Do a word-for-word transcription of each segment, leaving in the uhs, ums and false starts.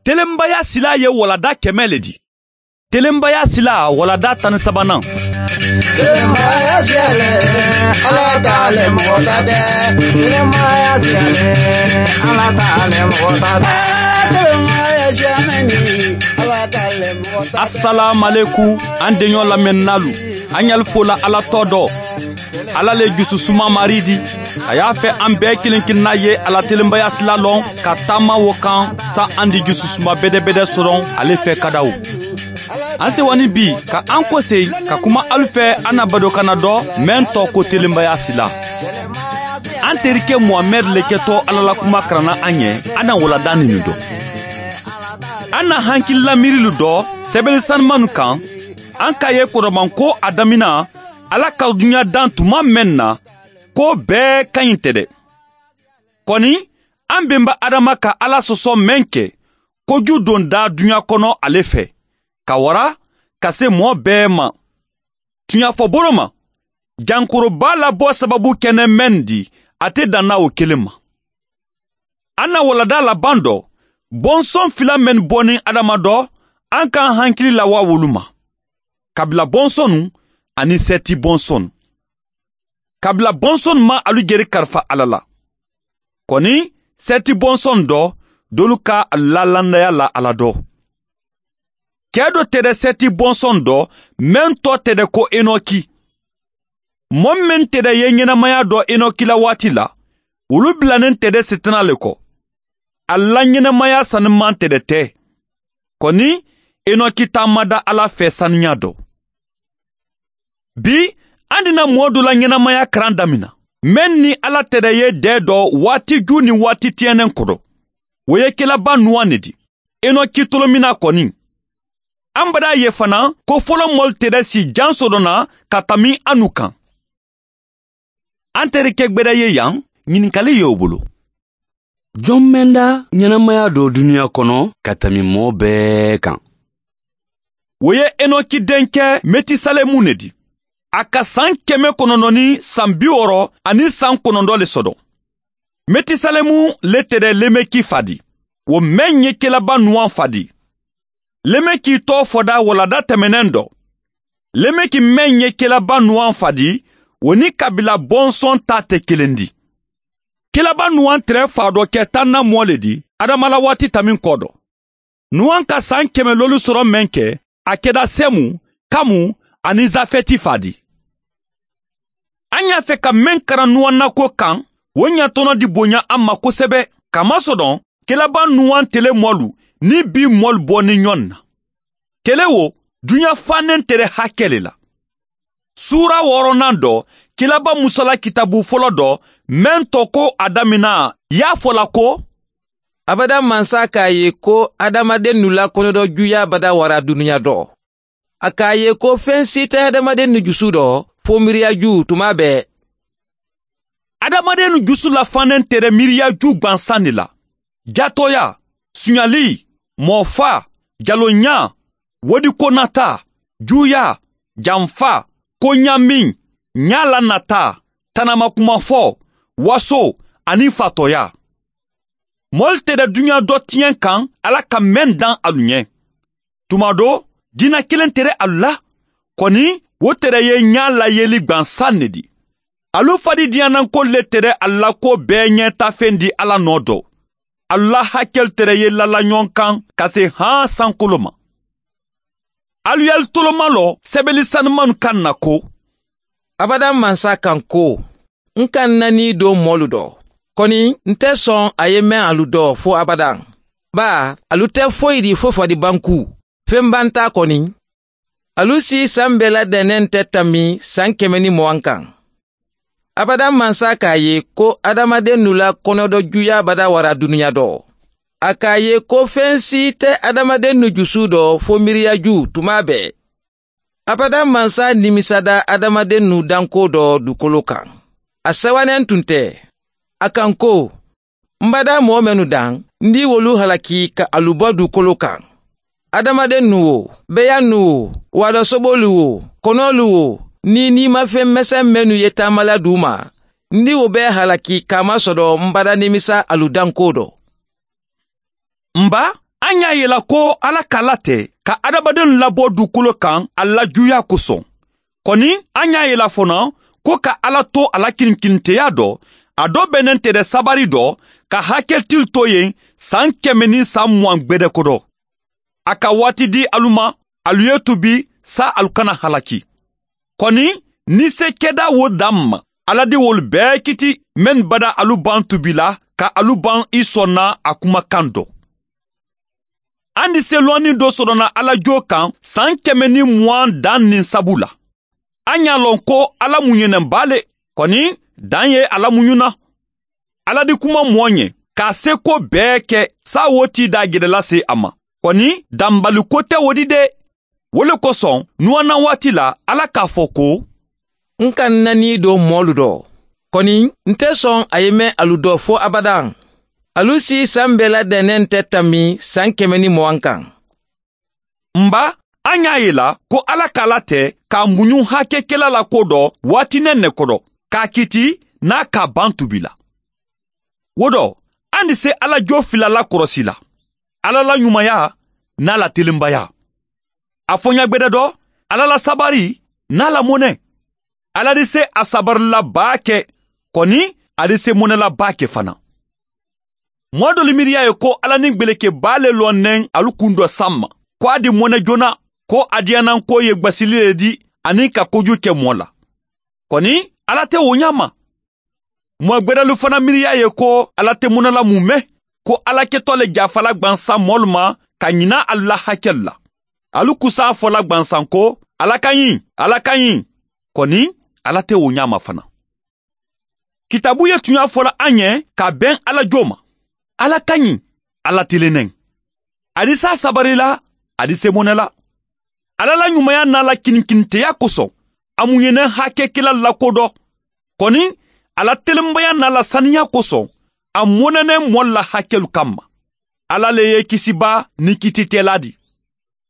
Telenbaya silaa ye waladaa kɛmɛ le di. Telenbaya silaa waladaa tan ni sabanan. Telenbaya silaa le, ala ta le mɔgɔ ta tɛ. Telenbaya silaa le, ala ta le mɔgɔ ta tɛ. Telenbaya silaa mɛni, ala ta le mɔgɔ ta tɛ. Asalaamalekum, an deɲɔ lamɛnnaalu, an ɲali fo la ala tɔ dɔ. Ala le jususuma mari di. A y'a fɛ an bɛɛ kelen kelenna ye a la telenbaya sila lɔn ka taama wo kan. Sa an di jususuma bedebede soron ale fɛ kadaw. An sewanin bi ka an kosei ka kuma alu fɛ an na badokana dɔ, meŋ tɔ ko telenbaya sila. An terike muhamɛdi le kɛtɔ ala la kuma karanna an ye. An na waladaa ninu dɔ. An na hankilila miirilu dɔ sɛbɛli sanumanu kan. An ka ye koromanko a damina ala ka duɲa dan tuma meŋ na, ko bɛɛ ka ɲi tɛ dɛ. Kɔni, an benba adama ka ala sɔsɔ meŋ kɛ koju don daa duɲa kɔnɔ ale fɛ, ka wara ka se mɔɔ bɛɛ ma. Tuɲafɔbolo ma, jankoroba labɔ sababu kɛnɛ meŋ di, a te danna wo kelen ma. An na waladaa laban dɔ, bɔnsɔn fila meŋ bɔ ni adama dɔ, an ka an hankili lawa wolu ma. Kabila bɔnsɔnu ani sɛti bɔnsɔnu. Kabila bɔnsɔnu ma alu jeri karifa ala la. Kɔni, sɛti bɔnsɔnu dɔ, dolu ka alu lalandaya la ala dɔ. Kɛ dɔ tɛ dɛ sɛti bɔnsɔnu dɔ, meŋ tɔ tɛ dɛ ko enoki. Mɔ meŋ tɛ dɛ ye ɲɛnamaya dɔ enoki la waati la, wolu bilanen tɛ dɛ setana le kɔ. Ala ɲɛnamaya saniman tɛ dɛ tɛ. Kɔni, enoki taamada ala fɛ saniya dɔ. Bi, an dina mɔɔ dɔ la ɲɛnamaya karan damina, meŋ ni ala tɛ dɛ ye dɛɛ dɔ waati ju ni waati tiɲɛnen kɔdɔ. Wo ye kelaba nuwan ne di. Enoki tolomina kɔni, an badaa ye fana ko fɔlɔ mɔlu tɛ dɛ si jan sodɔnna ka tami anu kan. An terike gbɛda ye yan, ɲininkali ye o bolo. Jɔn mɛnda ɲɛnamaya dɔ duniɲa kɔnɔ ka tɛmɛ mɔɔ bɛɛ kan? Wo ye enoki denkɛ metisalemu ne di. A ka san kɛmɛ kɔnɔntɔn ni san bi wɔɔrɔ ani san kɔnɔntɔn le sɔdɔ. Metisalemu le tɛdɛ lemeki fa di, wo mɛn ye kelaba nuwan fa di. Lemeki tɔ fɔda walada tɛmɛnen dɔ. Lemeki mɛn ye kelaba nuwan fa di, wo ni kabila bɔnsɔn ta tɛ kelen di. Kelaba nuwan tɛrɛ fa dɔ kɛ tanna mɔ le di adama la waati tamin kɔ dɔ. Nuwan ka san kɛmɛ lolu sɔrɔ mɛn kɛ, a kɛda sɛmu, kamu ani zafɛti fa di. An y'a fɛ ka mɛn karan nuwan nako kan, wo ɲatɔnɔ di bonya an ma kosɛbɛ. Kamasɔdɔn, kelaba nuwan tele mɔlu ni bi mɔlu bɔ ni ɲɔn na. Tele wo, duɲa fannen tɛrɛ hakɛ le la. Suura wɔɔrɔnan dɔ, kelaba musala kitabu fɔlɔ dɔ, mɛn tɔ ko a damina, y'a fɔ la ko, abada mansa k'a ye ko adamadennu la kɔnɔdɔ juya bada wara dunuɲa dɔ. A k'a ye ko fen si tɛ adamadennu jusu dɔ fo miiriya ju tuma bɛɛ. Adamadennu jusu la fannen tɛrɛ miiriya ju gbansan de la. Jatɔya, suɲali, mɔɔfa, jaloɲa, wodikonata, juya, janfa, koɲamin, ɲalanata, tanamakuma fɔ, waso, ani fatɔya. Mɔlu tɛ dɛ duɲa dɔ tiɲɛ kan ala ka mɛn dan alu ɲɛ. Tuma do, diina kelen tɛ dɛ alu la. Kɔni, wo tɛ dɛ ye ɲa layeli gbansan ne di. Alu fadidiɲananko le tɛ dɛ alu la ko bɛɛ ɲɛtafen di ala nɔ dɔ. Alu la hakɛlu tɛ dɛ ye lalaɲɔn kan ka se han sankolo ma. Alu yali toloma lɔ sɛbɛli sanumanu kan na ko, abada mansa kan ko, n ka n nani don mɔlu dɔ. Kɔni, n tɛ sɔn a ye mɛn alu dɔ fo abada. Baa, alu tɛ foyi di fo fadibanku. Fen banta kɔni, alu si san bɛɛ la dɛnɛn tɛ tanbi san kɛmɛ ni mugan kan. Abada mansa k'a ye ko adamadennu la kɔnɔdɔ juya bada wara dunuɲa dɔ. A k'a ye ko fen si tɛ adamadennu jusu dɔ fo miiriya ju tuma bɛɛ. Abada mansa nimisada adamadennu danko dɔ dukolo kan. A sɛwanen tun tɛ. A kan ko, n bada mɔɔ mennu dan, n di wolu halaki ka alu bɔ dukolo kan. Adamadennu wo, beyannu wo, waadɔsobolu wo, kɔnɔlu wo, ni niimafen meseŋ mennu ye taamala du ma, n di wo bɛɛ halaki k'a masɔdɔ n bada nimisa alu danko dɔ. N ba, An ye a yila ko alla ka alla te ka hadamadenw labɔ dukolo kaŋ a la juuyaa kosoŋ. Koni an ye a yila fanaa ko ka alla to a la kinikininteyaa dɔ, a dɔ be neŋ tede sabari dɔ ka haketili to yen san keme niŋ san muwaŋ gbede kodo. A ka waati di alu ma, alu ye tuubi, saayiŋ alu kana halaki. Koni ni se kedaa wo daŋ ma, alla diwolu bee kiti mennu bada alu baŋ tuubi la ka alu baŋ i sonna a kuma kaŋ do. An di se loŋ niŋ do soto na alla joo kaŋ san keme niŋ muwaŋ daŋ niŋ sabu la. An ye a loŋ ko alla muɲeneŋ baa le. Koni daŋ ye alla muɲu na. Alla di kuma moo ɲe ka a se ko bee ke saayiŋ wo tii daa jedela se a ma. Koni dambali ko te wo di de. Wo le kosoŋ nuwanaŋ waati la alla ka a fo ko, n ka n na nii do moolu do. Koni n te soŋ a ye meŋ alu do fo abadaŋ. Alu si saŋ bee la dene nte tammi saŋ keme niŋ muwaŋ kaŋ. N ba, an ye a yila ko alla ka alla te ka a muɲu hakekela la ko do waati neŋ ne kodo ka a kiti niŋ a ka a baŋ tuubi la. Wo do, an di se alla joo fila la korosi la, alla la ɲumaya niŋ a la telembayaa. A fo ɲa gbede do, alla la sabari niŋ a la mone. Alla di se a sabarila baa ke, koni a di se monela baa ke fanaa. Moo dolu miiriyaa ye ko alla niŋ gbeleke baa le loŋ neŋ alu kundo samma, ko a di mone joona, ko a diyanaŋ ko ye gbasili le di aniŋ ka kojuu ke moo la. Koni alla te wo ɲaama. Moo gbedalu fanaa miiriyaa ye ko alla te mone la mume, ko alla ketoo le jaafala gbansaŋ moolu ma ka ɲina alu la hakelu la. Alu kusaa fo la gbansaŋ ko, alla ka ɲi, alla ka ɲi. Koni alla te wo ɲaama fanaa. Kitaabu ye tuɲaa fo la a ɲe ka a beŋ alla joo ma. Alla ka ɲi, alla teleneŋ. A di se a sabari la, a di se mone la. Alla la ɲumaya niŋ a la kinikininteyaa koso, a muɲeneŋ hakekela la ko do. Koni a la telembayaa niŋ a la saniyaa koso, a moneneŋ moolu la hakelu kamma. Alla le ye i kisi baa niŋ kititeelaa di.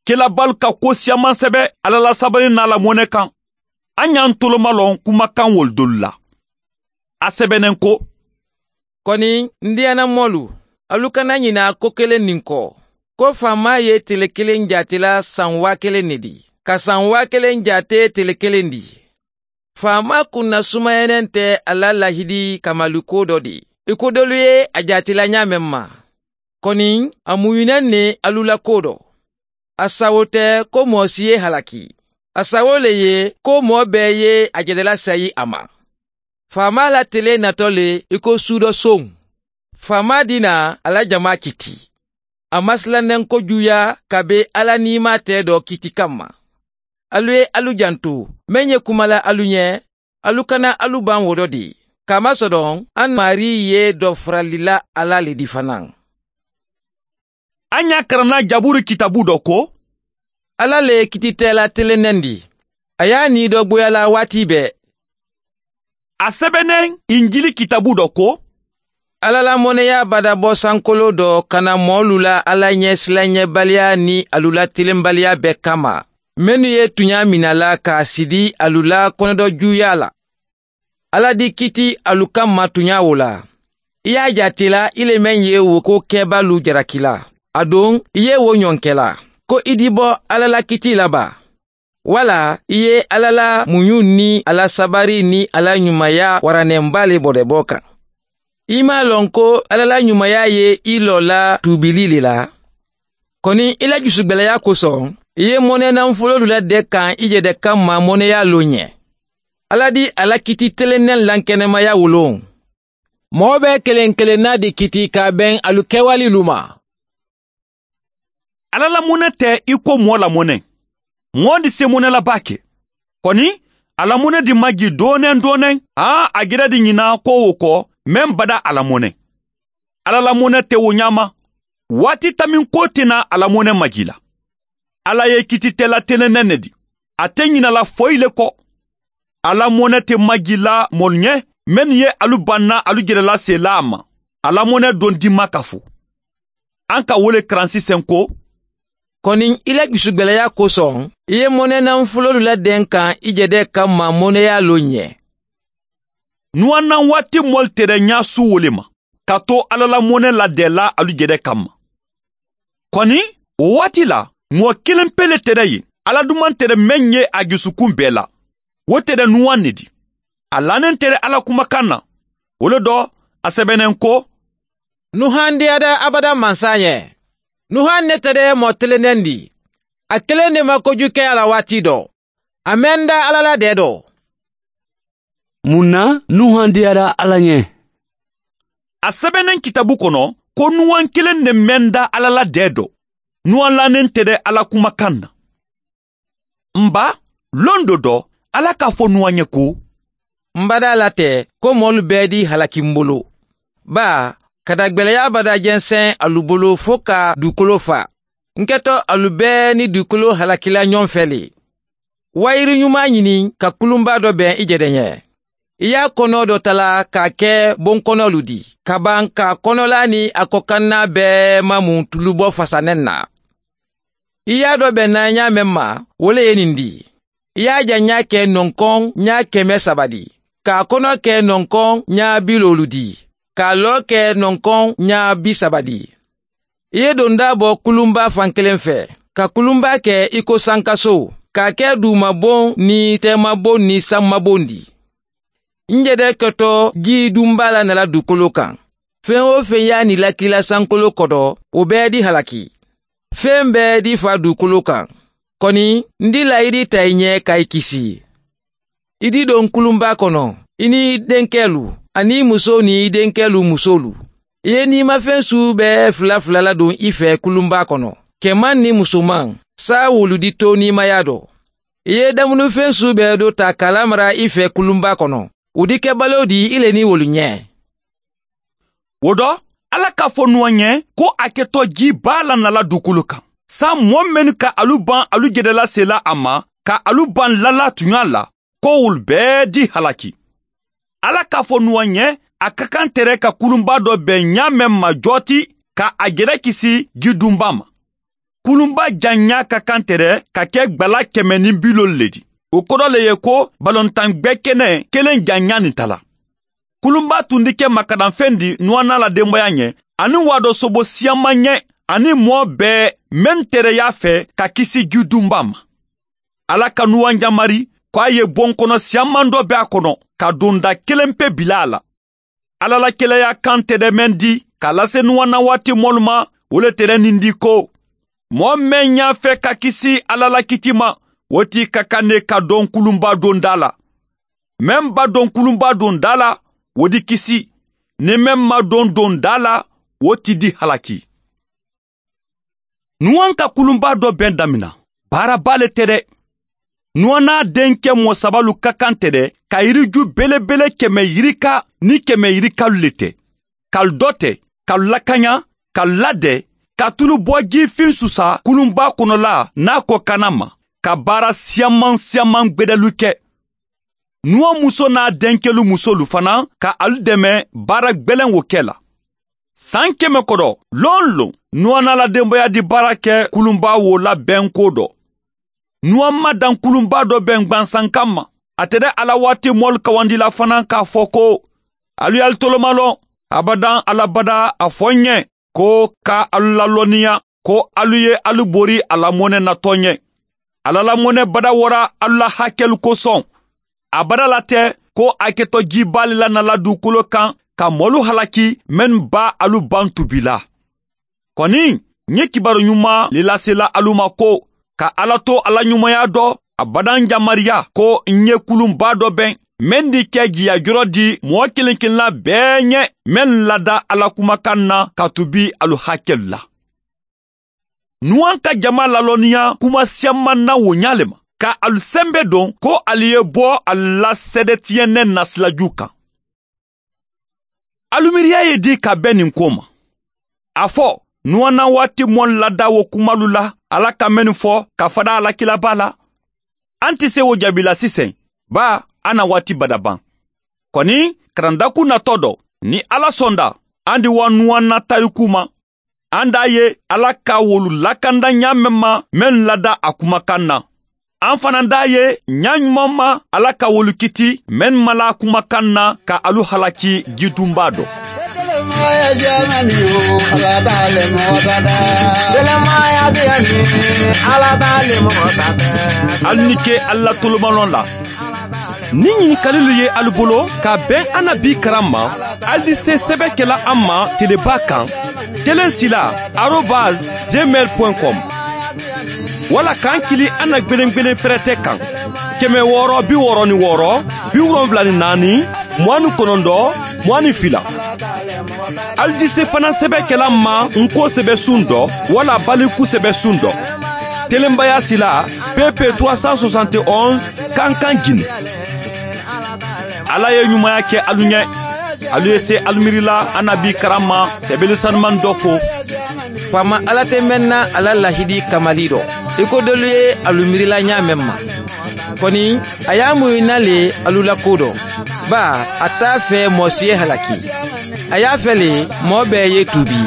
Kelabaalu ka kuwo siyaamaŋ sebe alla la sabari niŋ a la mone kaŋ. A ɲaŋ tolomaloŋ kumakaŋ wolu dolu la. A sebeneŋ ko, koni n diyana moolu, alu kana ɲina ko keleŋ niŋ ko, ko faamaa ye tele keleŋ jaatela saŋ waa keleŋ ne di, ka saŋ waa keleŋ jaate tele keleŋ di. Faamaa kunnasumayaneŋ te a la lahidi kamali ko do di, i ko dolu ye a jaatela ɲaameŋ ma. Koni a muɲuneŋ ne alu la ko do. A sawo te ko moo si ye halaki. A sawo le ye ko moo bee ye a jedela sayi a ma. Faamaa la tele nato le i ko suudo soŋ. Faamaa dina a la jamaa kiti. A masilanenko juuya ka be alla niimaa tee do kiti kamma. Alu ye alu jantu, meŋ ye kuma la alu ɲe, alu kana alu baŋ wo do di. Kamasodoŋ, a maarii ye do farali la alla le di fanaa. A ɲa karanna jaburu kitaabu do ko, alla le ye kititeela teleneŋ di. A ye a nii do boyala waati bee. A sebeneŋ injili kitaabu do ko, alla la moneyaa badabo sankoloo do kana moolu la alla ɲesilanɲebaliyaa niŋ alu la telenbaliyaa bee kamma, mennu ye tuɲaa mina la ka a sidi alu la konodojuuyaa la. Alla di kiti alu kamma tuɲaa wo la. I ye a jaatela i le meŋ ye wo ko kebaalu jaraki la, aduŋ i ye wo ɲoŋ ke la, ko i di bo alla la kiti la baa? Walla i ye alla la muɲu niŋ a la sabari niŋ a la ɲumaya waraneŋ baa le bodebo kaŋ? I maŋ a loŋ ko alla la ɲumaya ye i loo la tuubili le la? Koni i la jusugbeleyaa koso, i ye monenaŋ fuloolu la de kaŋ i jede kamma moneyaa loŋ ɲe. Alla di a la kiti teleneŋ lankenemaya woloŋ. Moo be keleŋ keleŋ na di kiti ka a beŋ alu kewalilu ma. Alla la mone te i ko moo la mone. Moo di se mone la baake. Koni a la mone di maji dooneŋ dooneŋ, haa a geda di ɲina ko wo ko meŋ bada a la mone. Alla la mone te wo ɲaama. Waati taminko te na a la mone maji la. Alla ye kititela teleneŋ ne di. A te ɲina la foyi le ko. A la mone te maji la moolu ɲe mennu ye alu banna alu jelela seelaa ma. A la mone doŋ dimma ka fo. An ka wo le karan siseŋ ko, koni i la jusugbeleyaa koso, i ye monenaŋ fuloolu la deŋ kaŋ i jede kamma moneyaa loŋ ɲe. Nuwannaŋ waati moolu tere ɲaa su wo le ma, kato alla la mone la deela alu jede kamma. Kɔni, wo waati la, moo kiliŋ pe le tere ye, alla dumantere meŋ ye a jusukun bee la. Wo tere nuwaŋ ne ti. A laneŋ tere alla kumakaŋ na. Wo le do, a sebeneŋ ko, nuhaŋ diyada abada mansa ñe. Nuhaŋ ne tere ye moo telendeŋ di. A keleŋ ne ma koju ke a la waati do. A meŋ da alla la dee do. Muŋ na nuhaŋ diyada alla ñe? A sebeneŋ kitabu kono, ko nuwaŋ keleŋ ne meŋ da alla la dee do. Nuwaŋ laneŋ tere alla kumakaŋ na. Mba, londo do, alla ka a fo nuwaŋ ñe ko, mba da a la te ko moolu bee di halaki m bulu. Baa, ka dagbeleyaa bada jenseŋ alu bulu fo ka duukoloo faa. N keto alu bee ni duukoloo halaki la ñoŋ fee le. Wayiri ñumaa ñini ka kulunbaa do beŋ i jedeñe. I ye a konoo do tala ka a ke bonkonolu di ka baŋ ka a konolaa niŋ a kokannaa bee mamu tulubo fasaneŋ na. I ye a do beŋ na ñaa meŋ ma, wo le ye ñiŋ di. I ye a jaŋ ñaa ke nonkoŋ ñaa keme saba di, ka a konoo ke nonkoŋ ñaa biloolu di, ka a loo ke nonkoŋ ñaa bisaba di. I ye dondaa bo kulunbaa fankeleŋ fee, ka kulunbaa ke i ko sankaso, ka a ke duumaboŋ niŋ teemaboŋ niŋ sammaboŋ di. N jede keto jii dunbaa la nala duukoloo kaŋ. Feŋ-wo-feŋ ye a niilakila sankoloo koto, wo bee di halaki. Feŋ bee di faa duukoloo kaŋ. Koni, n di laayidi taa i ñe ka i kisi. I di doŋ kulunbaa kono, i niŋ i denkeelu, aniŋ i musoo niŋ i denkeelu musoolu. I ye niimafeŋ suu bee fula fula ladoŋ i fee kulunbaa kono, kemaŋ niŋ musomaŋ, saayiwolu di too niimayaa do. I ye damunufeŋ suu bee do taa ka a lamara i fee kulunbaa kono, wo di kebaloo di i le niŋ wolu ñe. Wo do, alla ka a fo nuwa ñe, ko a ke to jii baa la nala duukulu kaŋ, saayiŋ moo mennu ka alu baŋ alu jedela seela a ma, ka alu baŋ lala tuñaa la, ko wolu bee di halaki. Alla ka a fo nuwa ñe, a ka kaŋ tere ka kulunbaa do beŋ ñaa meŋ ma jooti, ka a jere kisi jidunbaa ma. Kulunbaa jaŋ ñaa ka kaŋ tere ka ke gbala keme niŋ biloolu le ti. Wo kodo le ye ko balontaŋ gbee kene keleŋ jaŋ ñaa niŋ tala. Kulunbaa tundi ke makadaŋ feŋ di nuwanaa la dembeyaa ñe, aniŋ waadoo sobo siyaŋ maŋ ñe, aniŋ moo bee meŋ tere ye a fee ka kisi jidunbaa ma. Alla ka nuwaŋ jamari, ko a ye bonkono siyaŋ maŋ doo be a kono, ka dundaa keleŋ pe bila a la. Alla la keleyaa kaŋ tere meŋ di ka a lase nuwanaa waati moolu ma, wo le tere niŋ di ko, moo meŋ ye a fee ka kisi alla la kitii ma, wo ti ka kaŋ ne ka doŋ kulunbaa dondaa la. Meŋ ba doŋ kulunbaa dondaa la, wo di kisi. Niŋ meŋ ma doŋ dondaa la, wo ti di halaki. Nuwaŋ ka kulunbaa do beŋ damina, baara baa le te de. Nuwanaa denke moo sabalu ka kaŋ te de, ka yiriju belebele keme yirika niŋ keme yirikalu le te. Ka alu dote, ka alu lakaña, ka alu lade, ka tulubo jii fiŋ susa kulunbaa konola niŋ a ko kana ma, ka baara siyaŋ maŋ siyaŋ maŋ gbedelu ke. Nuwa musoo niŋ a denkelu musoolu fanaa ka alu deme baara gbeleŋo ke la. Saŋ keme koto, loŋ loŋ nuwa niŋ a la dembeyaa di baara ke kulunbaa wo la benkoo do. Nuwa maŋ daŋ kulunbaa do beŋ gbansaŋ kamma. A te de a la waati moolu kawandila fanaa ka a fo ko, alu ye alu tolomaloo. Abadaŋ a la badaa a fo n ye, ko ka alu lalonniya ko alu ye alu bori a la mone natoo n ye. A la lamone bada wara alu la hakelu kosoŋ. A bada la te ko a ke to jii baa le la na la duukoloo kaŋ ka moolu halaki mennu be alu baŋ tubi la. Koni, ǹ ye kibaaru ñumaa le lase la alu ma ko, ka alla to a la ñumayaa do a badaŋ jamariya ko ǹ ye kulunbaa do beŋ meŋ di ke jiya joro di moo kiliŋ kiliŋ la bee ñe, meŋ lada alla kumakaŋ na ka tubi alu hakelu la. Nuwaŋ ka jamaa lalonniya kuma siyaŋ maŋ na wo ñaa le ma, ka alu sembe doŋ ko alu ye bo alu la seede tiyenneŋ na silajuu kaŋ. Alu miiriyaa ye dii ka be niŋ koo ma. A fo, nuwanaa waati moolu lada wo kumalu la alla ka mennu fo ka fadaa a la kiilabaa la. A nte se wo jaabi la siseŋ, baa a na waati bada baŋ. Koni, karandaku natoo do, niŋ alla sonda, a ndi wa nuwanaa tarikuu ma. A ndaa ye alla ka wolu lakanda ñaa meŋ ma mennu lada a kumakaŋ na. A fanaa ndaa ye ñaa ñumaŋ ma alla ka wolu kiti mennu ma la a kumakaŋ na ka alu halaki jidunbaa do. ali ni ke ali la tolomalɔn la. Ni ɲinikalilu ye alu bolo ka bɛn annabi karan ma, ali se sɛbɛkɛla an ma telebaa kan, telen sila arobase gmail point com, walla k'an kili an na gbelengbelen fɛrɛtɛ kan, kɛmɛ wɔɔrɔ bi wɔɔrɔ ni wɔɔrɔ, bi wolonwula ni naani, mugan ni kɔnɔntɔn, mugan ni fila. Alijise fana sɛbɛkɛla ma nko sɛbɛsun dɔ walla baliku sɛbɛsun dɔ, telenbaya sila, pp trois cent soixante et onze, kankan jini. Ala ye ɲumanya kɛ alu ɲɛ. Alu ye se alu miirila annabi karan ma, sɛbɛli sanuman dɔ ko, faama ala tɛ mɛnna a la lahidi kamali dɔ, i ko dolu ye alu miirila ɲaamen ma. Kɔni, a y'a muɲu na le alu la ko dɔ, baa, a t'a fɛ mɔɔ si ye halaki. A y'a fɛ le mɔɔ bɛɛ ye tuubi.